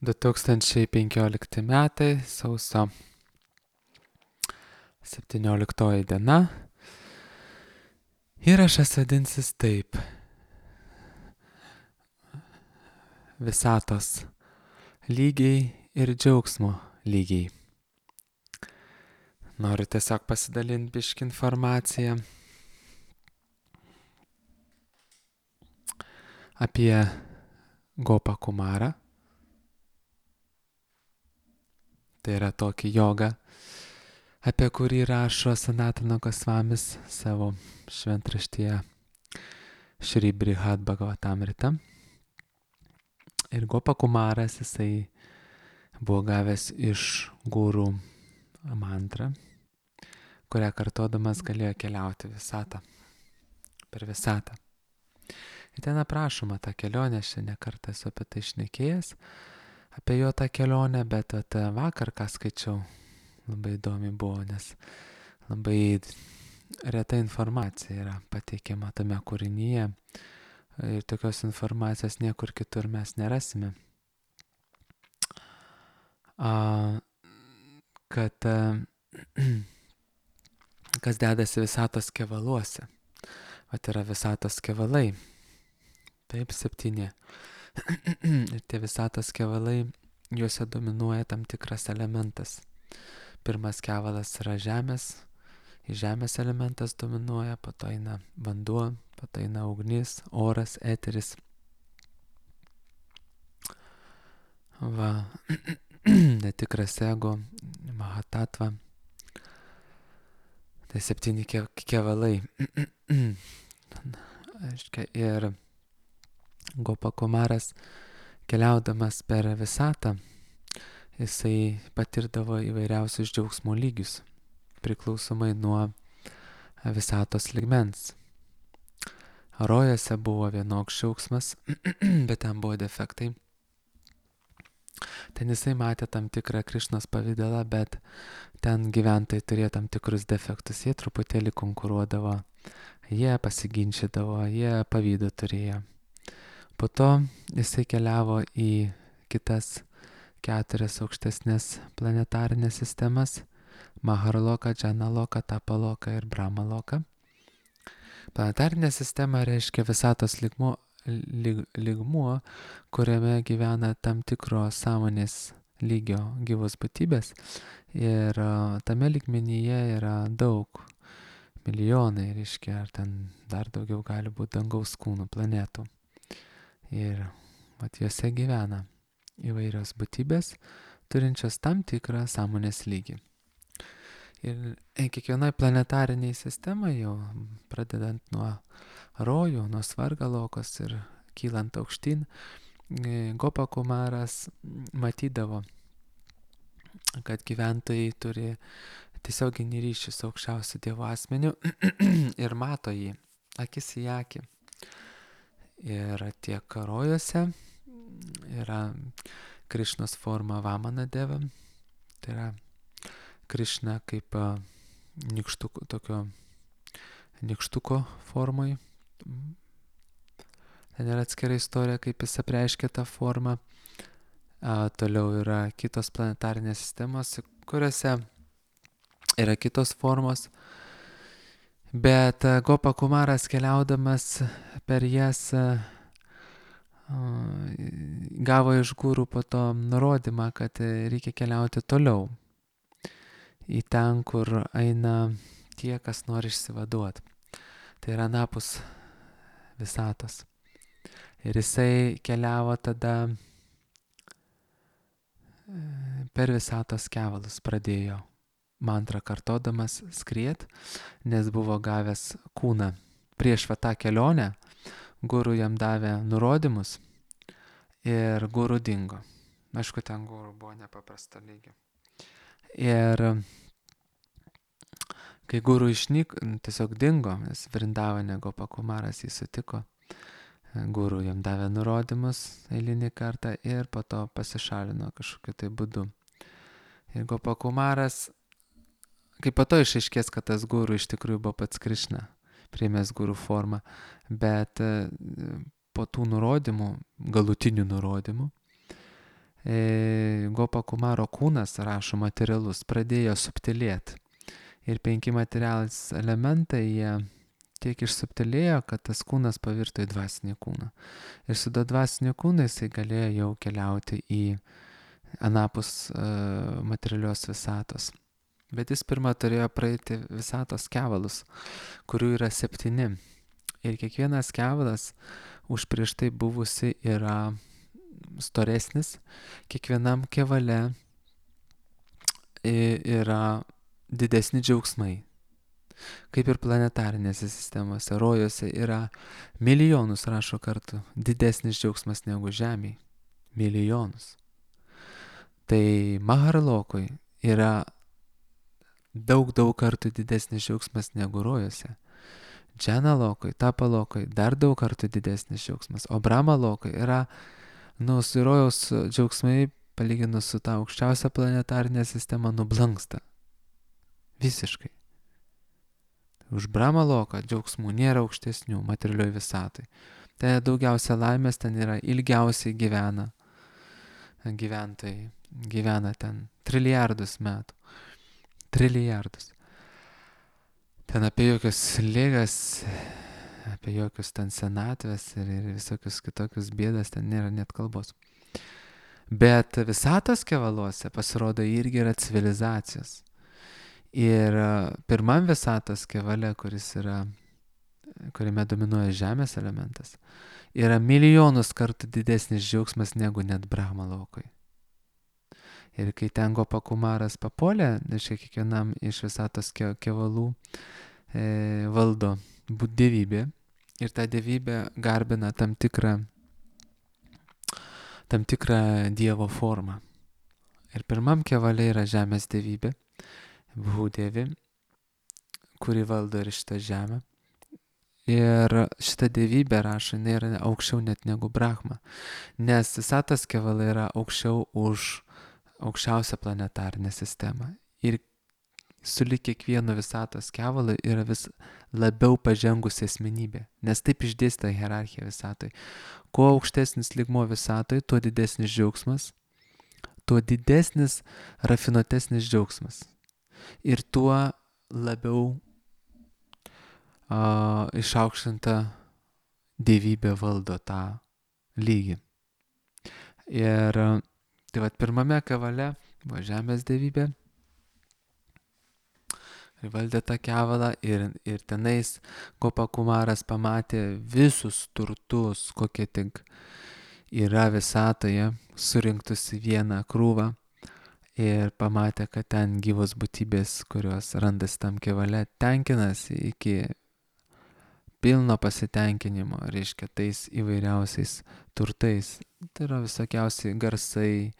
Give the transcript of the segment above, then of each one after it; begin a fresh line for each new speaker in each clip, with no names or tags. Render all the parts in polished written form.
2015 metai, sausio 17 diena. Įrašas vadinsis taip. Visatos lygiai ir džiaugsmo lygiai. Noriu tiesiog pasidalinti biškį informaciją apie Gopą Kumarą. Tai yra tokį jogą, apie kurį rašo Sanatana Gosvamis savo šventraštyje Šri Brihad Bhagavatamrita. Ir Gopa Kumaras jisai buvo gavęs iš gurų mantrą, kurią kartodamas galėjo keliauti per visatą. Ir ten aprašoma ta kelionė, aš ne kartą esu apie tai šnekėjęs, apie jo tą kelionę, bet vakar, ką skaičiau, labai įdomi buvo, nes labai reta informacija yra pateikiama tame kūrinyje ir tokios informacijos niekur kitur mes nerasime. Kad kas dedasi visatos kevaluose. Vat yra visatos kevalai. Taip, 7. Ir tie visatos kevalai, juose dominuoja tam tikras elementas. Pirmas kevalas yra žemės. Žemės elementas dominuoja, po to eina vanduo, po to eina ugnis, oras, eteris. Va, netikras ego, mahatatva. Tai 7 kevalai. Ir Gopa Kumaras, keliaudamas per visatą, jisai patirdavo įvairiausius džiaugsmo lygius, priklausomai nuo visatos ligmens. Rojuose buvo vienoks džiaugsmas, bet ten buvo defektai. Ten jisai matė tam tikrą Krišnos pavidalą, bet ten gyventojai turėjo tam tikrus defektus. Jie truputėlį konkuruodavo, jie pasiginčydavo, jie pavydą turėjo. Po to jisai keliavo į kitas 4 aukštesnės planetarinės sistemas – Maharloka, Džanaloka, Tapaloka ir Brahmaloka. Planetarinė sistema reiškia visatos lygmuo, kuriame gyvena tam tikro sąmonės lygio gyvos būtybės. Ir tame lygmenyje yra daug, milijonai, reiškia, ar ten dar daugiau gali būti dangaus kūnų, planetų. Ir juose gyvena įvairios būtybės, turinčios tam tikrą sąmonės lygį. Ir kiekvienai planetariniai sistemai, jau pradedant nuo rojų, nuo svargalokos ir kylant aukštyn, Gopa Kumaras matydavo, kad gyventojai turi tiesioginį ryšį su aukščiausiu Dievo asmeniu ir mato jį, akis į akį. Ir tiek rojuose yra Krišnos forma Vamana Deva, tai yra Krišna kaip nykštuko formoj. Ten yra atskira istorija, kaip jis apreiškia tą formą. Toliau yra kitos planetarinės sistemos, kuriuose yra kitos formos. Bet Gopa Kumaras keliaudamas per jas gavo iš gurų po to nurodymą, kad reikia keliauti toliau. Į ten, kur eina tie, kas nori išsivaduoti. Tai yra anapus visatos. Ir jisai keliavo tada per visatos kevalus, pradėjo mantrą kartodamas skriet, nes buvo gavęs kūną. Prieš tą kelionę guru jam davė nurodymus ir guru dingo. Aišku, ten guru buvo nepaprasta lygio. Ir kai guru tiesiog dingo, nes Vrindavane Gopa Kumaras jį sutiko, guru jam davė nurodymus eilinį kartą ir po to pasišalino kažkokiu tai būdu. Ir Gopa Kumaras, kai po to išaiškės, kad tas guru iš tikrųjų buvo pats Krišna, priėmęs guru formą, bet po tų nurodymų, galutinių nurodymų, Gopa Kumaro kūnas, rašo materialus, pradėjo subtilėti. Ir 5 materialūs elementai, jie tiek išsubtilėjo, kad tas kūnas pavirto į dvasinį kūną. Ir su to dvasiniu kūnu jisai galėjo jau keliauti į anapus materialios visatos. Bet jis pirmą turėjo praeiti visatos kevalus, kurių yra 7. Ir kiekvienas kevalas už prieš tai buvusi yra storesnis. Kiekvienam kevale yra didesni džiaugsmai. Kaip ir planetarinėse sistemose, rojuose yra milijonus, rašo kartų, didesnis džiaugsmas negu Žemėje. Milijonus. Tai Maharlokui yra daug kartų didesnis džiaugsmas negu rojuose. Džanalokui, Tapalokui dar daug kartų didesnis džiaugsmas. O Brahmalokui yra, su rojaus džiaugsmai, palyginus su ta aukščiausia planetarinė sistema, nublanksta. Visiškai. Už Brahmaloką džiaugsmų nėra aukštesnių materialioj visatai. Ten daugiausia laimės, ten yra ilgiausiai gyventojai. Gyvena ten trilijardus metų. Trilijardus. Ten apie jokius ligas, apie jokius ten senatvės ir visokius kitokius bėdas ten nėra net kalbos. Bet visatos kevaluose pasirodo irgi yra civilizacijos. Ir pirmam visatos kevale, kuriame dominuoja žemės elementas, yra milijonus kartų didesnis džiaugsmas negu net Brahmalokui. Ir kai ten Gopa Kumaras papuolė, kiekvienam iš visatos kevalų valdo dievybė. Ir ta dievybė garbina tam tikrą dievo formą. Ir pirmam kevale yra žemės dievybė, Bhudevi, kuri valdo ir šitą žemę. Ir šita dievybė, rašo, nėra aukščiau net negu Brahma. Nes visatos kevalai yra aukščiau už aukščiausią planetarinę sistemą. Ir sulig kiekvienu visatos kevalu yra vis labiau pažengusi asmenybė. Nes taip išdėsta hierarchija visatoj. Kuo aukštesnis lygmuo visatoj, tuo didesnis džiaugsmas, tuo didesnis rafinuotesnis džiaugsmas. Ir tuo labiau išaukštinta dievybė valdo tą lygį. Ir tai vat pirmame kevale buvo žemės dievybė ir valdė tą kevalą ir tenais Gopa Kumaras pamatė visus turtus, kokie tik yra visatoje, surinktus į vieną krūvą ir pamatė, kad ten gyvos būtybės, kurios randasi tam kevale, tenkinasi iki pilno pasitenkinimo, reiškia, tais įvairiausiais turtais. Tai yra visokiausiai garsai,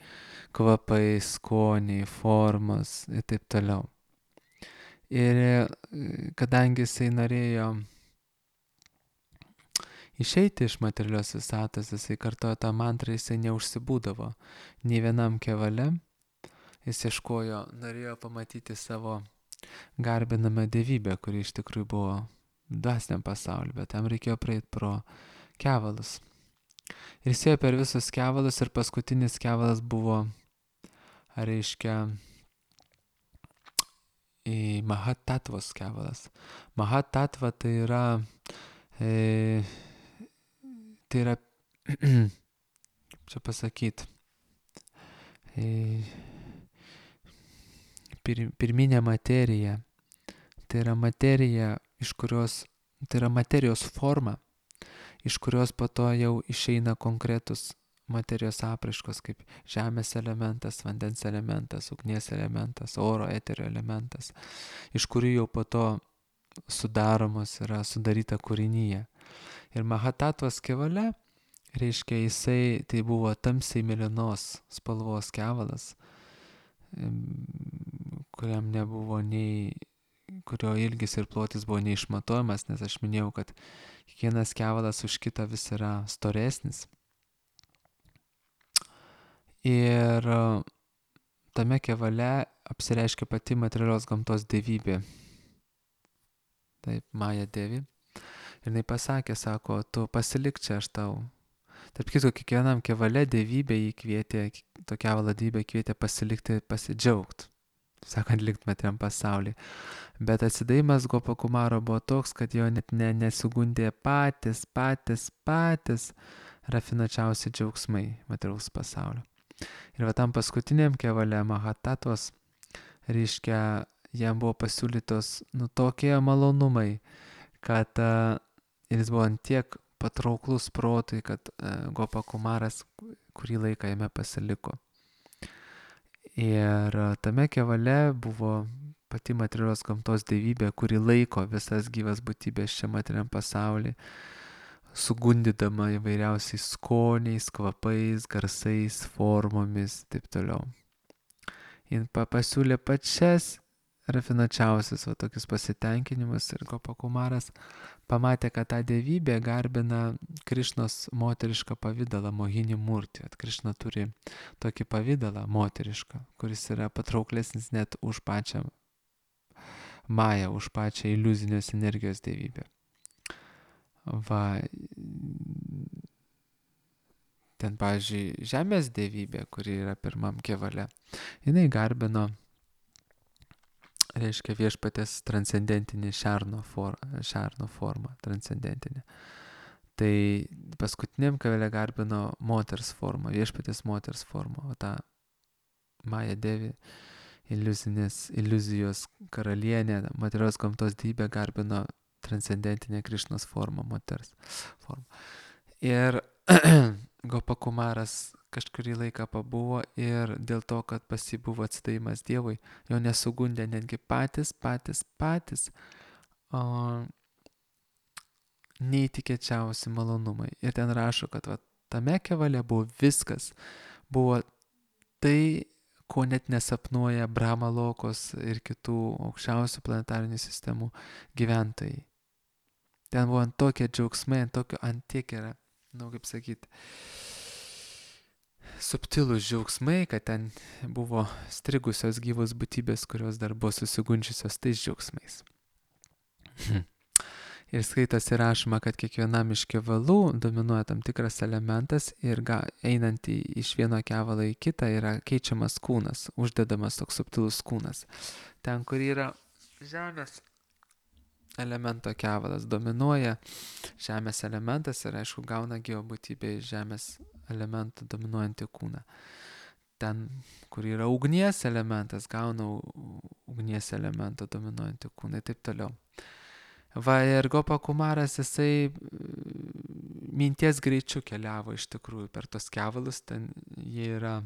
kvapai, skoniai, formos ir taip toliau. Ir kadangi jisai norėjo išeiti iš materialios visatos, jisai kartojo tą mantrą, jisai neužsibūdavo nei vienam kevale. Jis ieškojo, norėjo pamatyti savo garbinamą dievybę, kuri iš tikrųjų buvo dvasiniam pasauliu, bet tam reikėjo praeiti pro kevalus. Ir jis ėjo per visus kevalus ir paskutinis kevalas buvo, reiškia, Mahatatvos kevalas. Mahatatva tai yra čia pasakyti, pirminė materija. Tai yra materija, tai yra materijos forma, iš kurios po to jau išeina konkretus materijos apraiškos, kaip žemės elementas, vandens elementas, ugnies elementas, oro, eterio elementas, iš kurių jau po to yra sudaryta kūrinyje. Ir Mahatatvos kevale, reiškia, jisai tai buvo tamsiai mėlynos spalvos kevalas, kurio ilgis ir plotis buvo neišmatuojamas, nes aš minėjau, kad kiekvienas kevalas už kitą vis yra storesnis. Ir tame kevale apsireiškia pati materialios gamtos dievybė. Taip, Maja Devi. Ir jinai pasakė, sako, tu pasilik čia, aš tau Tarp kitko, kiekvienam kevale dievybė jį kvietė, to kevalo dievybė kvietė pasilikti, pasidžiaugti, sakant, likt materiam pasaulyje. Bet atsidavimas Gopakumaro buvo toks, kad jo net nesugundė patys rafinuočiausi džiaugsmai materiaus pasaulio. Ir va tam paskutiniam kevale Mahatatos, reiškia, jam buvo pasiūlytos tokie malonumai, kad jis buvo antiek patrauklus protui, kad Gopakumaras kurį laiką jame pasiliko. Ir tame kevale buvo pati materialios gamtos dievybė, kuri laiko visas gyvas būtybės čia materialiam pasaulyje, sugundydama įvairiausiais skoniais, kvapais, garsais, formomis, taip toliau. Jis pasiūlė pačias rafinuočiausius tokius pasitenkinimus ir Gopakumaras pamatė, kad ta dievybė garbina Krišnos moterišką pavydalą, Mohini Murti. Krišna turi tokį pavydalą moterišką, kuris yra patrauklesnis net už pačią Mają, už pačią iliuzinės energijos dievybę. Ten, pavyzdžiui, žemės dievybė, kuri yra pirmam kevale, jinai garbino, reiškia, viešpatės transcendentinį šerno formą, transcendentinį. Tai paskutiniam kevale garbino moters formą, viešpatės moters formą, o tą Maja Devi, iliuzijos karalienė, materialios gamtos dievybė garbino transcendentinę Krišnos formą, moters formą. Ir Gopakumaras kažkurį laiką pabuvo ir dėl to, kad pas jį buvo atsidavimas Dievui, jo nesugundė netgi patys neįtikėčiausi malonumai. Ir ten rašo, kad tame kevale buvo viskas, buvo tai, ko net nesapnuoja Brahma Lokos ir kitų aukščiausių planetarinių sistemų gyventojai. Ten buvo tokie džiaugsmai, antiek yra, kaip sakyti, subtilūs džiaugsmai, kad ten buvo strigusios gyvos būtybės, kurios dar buvo susigundžiusios tais džiaugsmais. Ir skaitosi rašoma, kad kiekvienam iš kevalų dominuoja tam tikras elementas ir einant iš vieno kevalo į kitą yra keičiamas kūnas, uždedamas toks subtilus kūnas. Ten, kur yra žemės elemento kevalas, dominuoja žemės elementas ir, aišku, gauna geobūtybė iš žemės elementą dominuojantį kūną. Ten, kur yra ugnies elementas, gauna ugnies elementą dominuojantį kūną ir taip toliau. Ir Gopakumaras, jisai minties greičiu keliavo iš tikrųjų per tos kevalus, ten jie yra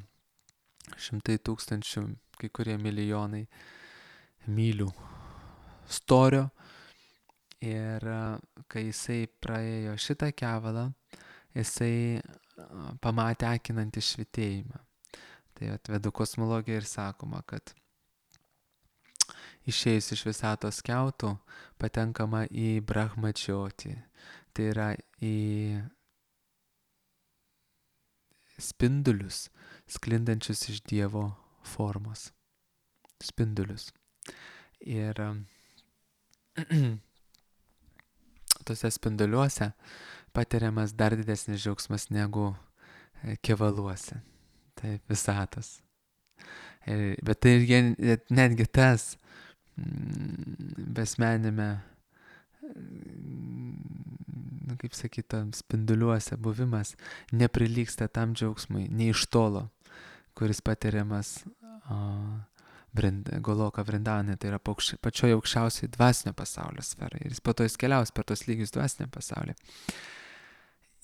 100 000, kai kurie milijonai mylių storio. Ir kai jisai praėjo šitą kevalą, jisai pamatė akinantį švytėjimą. Tai Vedų kosmologija ir sakoma, kad išėjus iš visatos skiautų patenkama į Brahmadžiotį. Tai yra į spindulius, sklindančius iš Dievo formos. Spindulius. Ir tose spinduliuose patiriamas dar didesnis džiaugsmas negu kevaluose. Tai visatos. Bet tai netgi tas besmenime, kaip sakyta, spinduliuose buvimas neprilygsta tam džiaugsmui, nei iš tolo, kuris patiriamas Goloka Vrindavane, tai yra pačioje aukščiausiai dvasinio pasaulio sferai. Ir jis po to jis keliaus per tos lygius dvasinio pasaulio.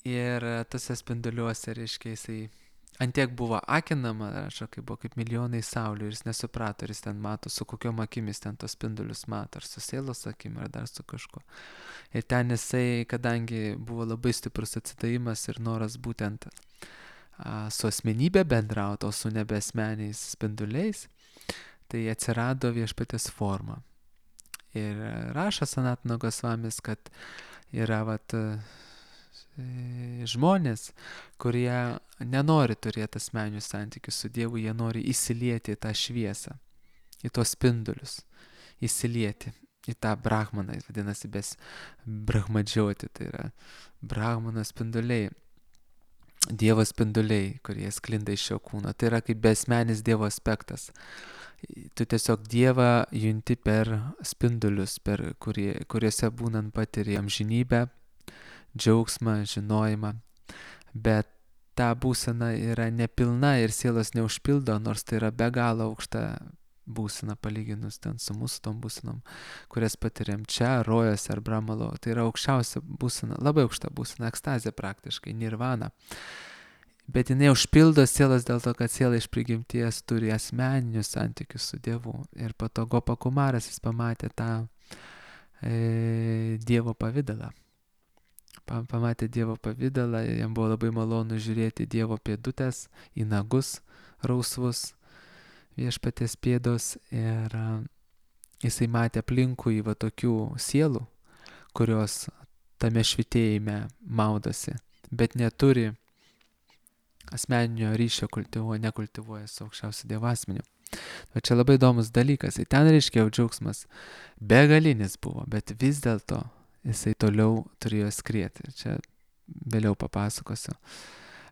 Ir tose spinduliuose, reiškia, jisai antiek buvo akinama, rašo, kai buvo kaip milijonai saulių ir jis nesuprato, ar jis ten mato, su kokiom akimis ten tos spindulius mato, ar su sielos akim, ar dar su kažko. Ir ten jisai, kadangi buvo labai stiprus atsidavimas ir noras būtent su asmenybė bendrauti, o su nebesmeniais spinduliais, tai atsirado viešpatės forma. Ir rašo Sanatana Gosvamis, kad yra žmonės, kurie nenori turėti asmeninių santykių su Dievu, jie nori įsilieti į tą šviesą, į tos spindulius, įsilieti į tą brahmaną, jis vadinasi Brahmadžioti, tai yra brahmano spinduliai. Dievo spinduliai, kurie sklinda iš šio kūno. Tai yra kaip besmenis Dievo aspektas. Tu tiesiog Dievą junti per spindulius, kuriuose būnant patiri amžinybę, džiaugsmą, žinojimą. Bet ta būsena yra nepilna ir sielos neužpildo, nors tai yra be galo aukšta būsena palyginus ten su mūsų tom būsenom, kurias patiriam čia, rojose ar Bramalo. Tai yra aukščiausia būsena, labai aukšta būsena, ekstazė praktiškai, nirvana. Bet jinai užpildo sielas dėl to, kad siela iš prigimties turi asmeninius santykius su Dievu. Ir po to Gopa Kumaras jis pamatė tą Dievo pavidalą. Pamatė Dievo pavidalą, jam buvo labai malonu žiūrėti Dievo pėdutės, į nagus rausvus, viešpaties pėdos. Ir jisai matė aplinkui va tokių sielų, kurios tame švitėjime maudosi, bet neturi asmeninio ryšio, nekultivuoja su aukščiausiu Dievo asmeniu. O čia labai įdomus dalykas. Ir ten reiškia jau džiaugsmas begalinis buvo, bet vis dėlto jisai toliau turėjo skrieti. Čia vėliau papasakosiu.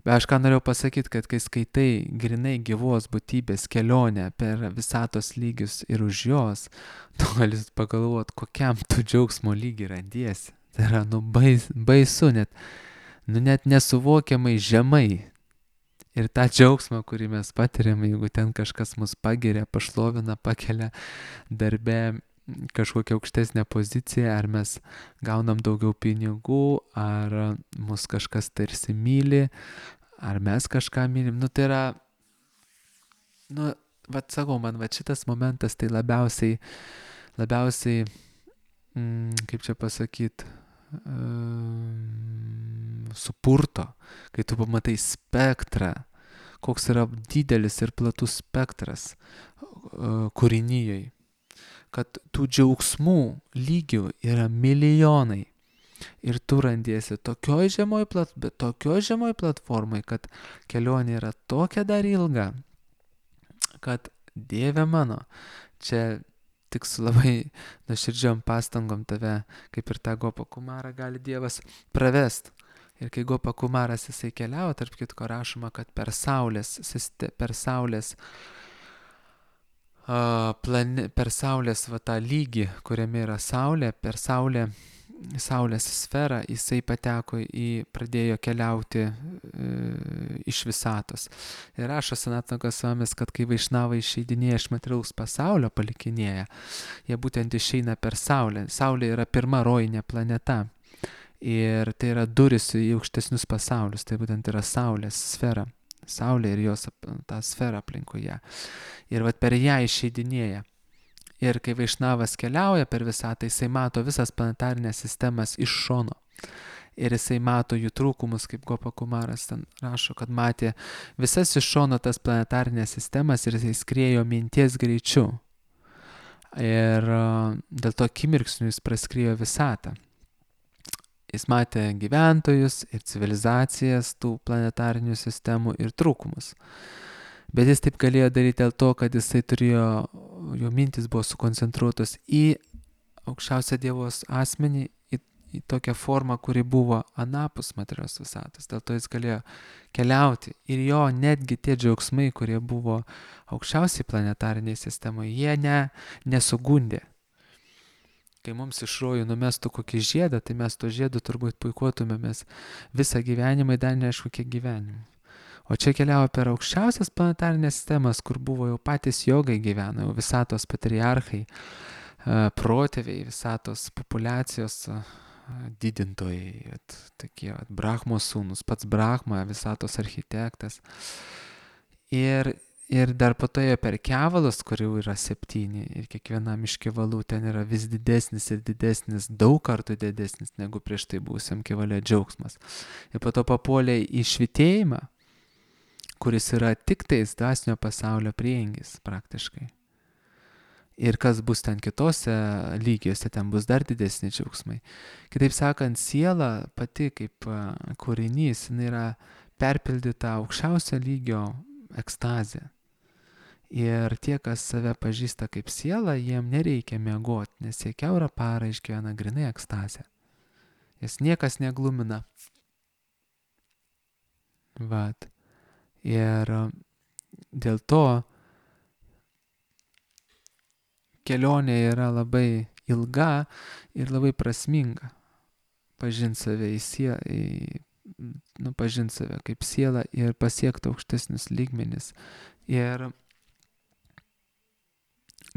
Bet aš ką norėjau pasakyti, kad kai skaitai grinai gyvos būtybės kelionę per visatos lygius ir už jos, tu gali pagalvoti, kokiam tu džiaugsmo lygį randiesi. Tai yra, baisu, net nesuvokiamai žemai. Ir tą džiaugsmą, kurį mes patiriam, jeigu ten kažkas mus pagiria, pašlovina, pakelia darbe kažkokią aukštesnę poziciją, ar mes gaunam daugiau pinigų, ar mus kažkas tarsi myli, ar mes kažką mylim. Tai yra, sakau, man šitas momentas tai labiausiai, kaip čia pasakyti, supurto, kai tu pamatai spektrą, koks yra didelis ir platus spektras kūrinyjei, kad tų džiaugsmų lygių yra milijonai ir tu randiesi tokioj žemoj platformai, kad kelionė yra tokia dar ilga, kad Dieve mano, čia tik su labai nuoširdžiom pastangom tave, kaip ir tą Gopą Kumarą, gali Dievas pravest. Ir kai Gopa Kumaras jisai keliavo, tarp kitko rašoma, kad per Saulės va tą lygį, kuriame yra Saulė, per Saulės sferą jisai pradėjo keliauti iš visatos. Ir rašo Sanatana Gosvamis, kad kai vaišnavai išeidinėja iš materialaus pasaulio, palikinėja, jie būtent išeina per Saulę. Saulė yra pirma rojinė planeta. Ir tai yra duris į aukštesnius pasaulius, tai būtent yra Saulės sfera. Saulė ir jos tą sferą aplinkoje. Ir vat per ją išeidinėja. Ir kai vaišnavas keliauja per visatą, jisai mato visas planetarinės sistemas iš šono. Ir jisai mato jų trūkumus, kaip Gopa Kumaras ten rašo, kad matė visas iš šono tas planetarinės sistemas ir jisai skriejo minties greičiu. Ir dėl to akimirksniu jis praskriejo visatą. Jis matė gyventojus ir civilizacijas tų planetarinių sistemų ir trūkumus. Bet jis taip galėjo daryti dėl to, kad jisai jo mintis buvo sukoncentruotos į aukščiausią Dievos asmenį, į tokią formą, kuri buvo anapus materialios visatos. Dėl to jis galėjo keliauti. Ir jo netgi tie džiaugsmai, kurie buvo aukščiausiai planetariniai sistemoje, jie nesugundė. Kai mums iš rojų numestų kokį žiedą, tai mes to žiedu turbūt puikuotumėmės visą gyvenimą, dar neaišku kiek gyvenimų. O čia keliavo per aukščiausias planetarinės sistemas, kur buvo jau patys jogai gyveno, jau visatos patriarchai, protėviai, visatos populiacijos didintojai, tokie Brahmos sūnus, pats Brahma, visatos architektas. Ir dar po to jie per kevalus, kurių yra 7, ir kiekvienam iš kevalų ten yra vis didesnis ir didesnis, daug kartų didesnis negu prieš tai buvusiam kevale džiaugsmas. Ir po to papuolė į švitėjimą, kuris yra tik tais dvasinio pasaulio prieangis praktiškai. Ir kas bus ten kitose lygiuose, ten bus dar didesni džiaugsmai. Kitaip sakant, siela pati kaip kūrinys, jinai yra perpildyta aukščiausio lygio ekstazė. Ir tie, kas save pažįsta kaip sielą, jiem nereikia miegoti, nes jie kiaurą parą išgyvena grynai ekstazę. Jas niekas neglumina. Vat. Ir dėl to kelionė yra labai ilga ir labai prasminga. Pažinti save pažinti save kaip sielą ir pasiekti aukštesnius lygmenis. Ir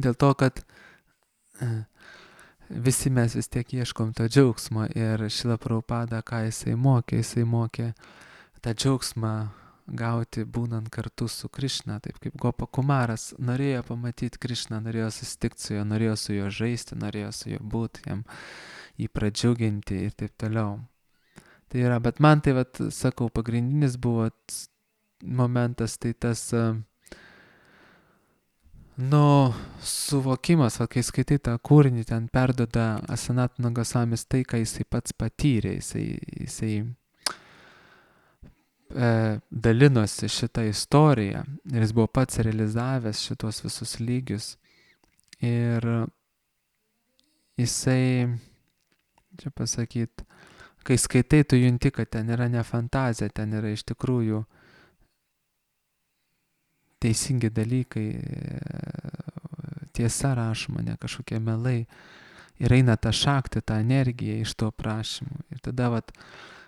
dėl to, kad visi mes vis tiek ieškom to džiaugsmo ir Šrila Prabhupada, ką jisai mokė tą džiaugsmą gauti būnant kartu su Krišna, taip kaip Gopa Kumaras norėjo pamatyti Krišną, norėjo susitikti su juo, norėjo su juo žaisti, norėjo su juo būti, jį pradžiuginti ir taip toliau. Tai yra, bet man tai, sakau, pagrindinis buvo momentas, tai tas, suvokimas, kai skaitai tą kūrinį, ten perduoda Sanatana Gosamis tai, ką jisai pats patyrė, jisai dalinosi šitą istoriją ir jis buvo pats realizavęs šitos visus lygius ir jisai, čia pasakyt, kai skaitai, tu junti, kad ten yra ne fantazija, ten yra iš tikrųjų teisingi dalykai, tiesa rašoma, ne kažkokie melai. Ir eina ta šakti, ta energija iš to prašymų. Ir tada,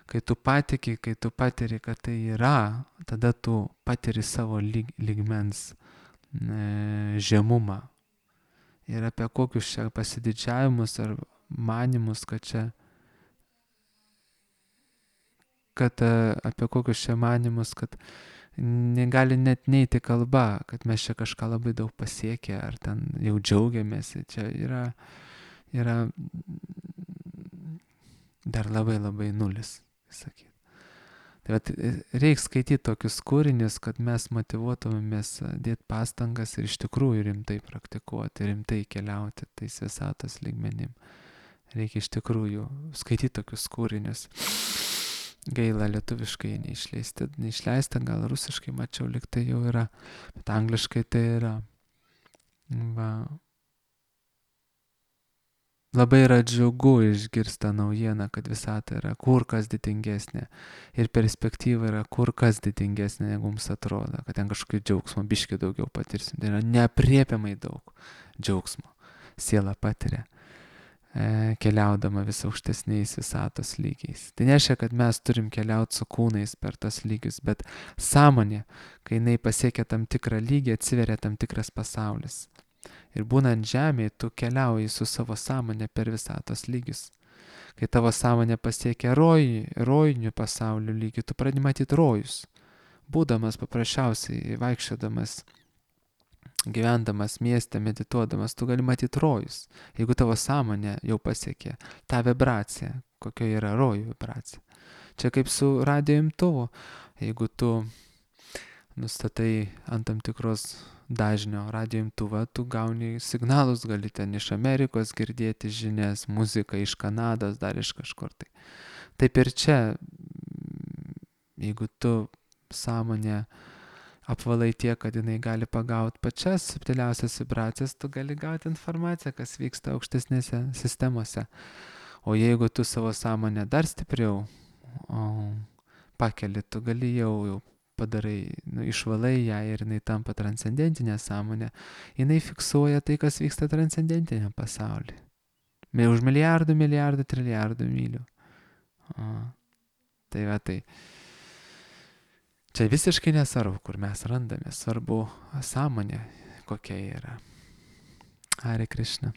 kai tu patiki, kai tu patiri, kad tai yra, tada tu patiri savo lygmens žemumą. Ir apie kokius čia pasididžiavimus ar manimus, apie kokius čia manimus, kad negali net neiti kalba, kad mes čia kažką labai daug pasiekę, ar ten jau džiaugiamės. Čia yra dar labai labai nulis, sakyt. Tai reikia skaityti tokius kūrinius, kad mes motyvuotumėmės dėti pastangas ir iš tikrųjų rimtai praktikuoti, rimtai keliauti tais visatos lygmenim. Reikia iš tikrųjų skaityti tokius kūrinius. Gaila, lietuviškai neišleista, gal rusiškai mačiau, lyg tai jau yra, bet angliškai tai yra. Va. Labai yra džiugu išgirsta naujieną, kad visata yra kur kas didingesnė ir perspektyva yra kur kas didingesnė, negu mums atrodo, kad ten kažkokio džiaugsmo biški daugiau patirsim. Tai yra neapriepiamai daug džiaugsmo siela patiria, keliaudama vis aukštesniais visatos lygiais. Tai nereiškia, kad mes turim keliauti su kūnais per tos lygius, bet sąmonė, kai jinai pasiekia tam tikrą lygį, atsiveria tam tikras pasaulis. Ir būnant žemėje, tu keliauji su savo sąmonė per visatos lygius. Kai tavo sąmonė pasiekia rojinių pasaulių lygį, tu pradedi matyti rojus. Būdamas paprasčiausiai, vaikščiodamas, gyvendamas mieste, medituodamas, tu gali matyti rojus. Jeigu tavo sąmonė jau pasiekė tą vibraciją, kokia yra rojų vibracija. Čia kaip su radijo imtuvu. Jeigu tu nustatai ant tam tikros dažnio radijo imtuvą, tu gauni signalus, gali ten iš Amerikos girdėti žinias, muziką iš Kanados, dar iš kažkur tai. Taip ir čia, jeigu tu sąmonę apvalai tiek, kad jinai gali pagauti pačias subtiliausias vibracijas, tu gali gauti informaciją, kas vyksta aukštesnėse sistemose. O jeigu tu savo sąmonę dar stipriau pakeli, tu gali jau padarai, išvalai ją ir jinai tampa transcendentinė sąmonė, jinai fiksuoja tai, kas vyksta transcendentinėme pasaulyje. Už milijardų, trilijardų mylių. Tai va tai. Čia visiškai nesvarbu, kur mes randame, svarbu sąmonė, kokia yra. Hare Krishna.